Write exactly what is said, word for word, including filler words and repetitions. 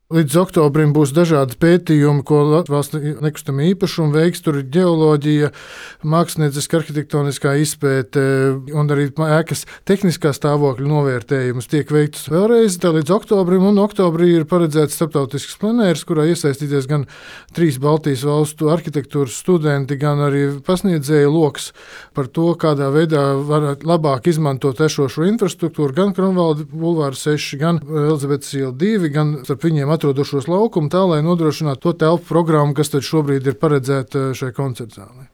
Līdz oktobrim būs dažādi pētījumi, ko valsts nekustamā īpašuma veiks. Tur ir ģeoloģija, mākslinieckā, arhitektoniskā izpēte un arī ēkas tehniskā stāvokļa novērtējums tiek veikts vēlreiz līdz oktobrim. Un oktobrī ir paredzēts starptautisks plenērs, kurā iesaistīties gan trīs Baltijas valstu arhitektūras studenti, gan arī pasniedzēju loks par to, kādā veidā var labāk izmantot esošo infrastruktūru, gan Kronvalda bulvāra seši, gan Elizabetes iela divi, gan starp viņiem atrodošos laukumu, tā lai nodrošinātu to telpu programmu, kas tad šobrīd ir paredzēta šai koncertzālē.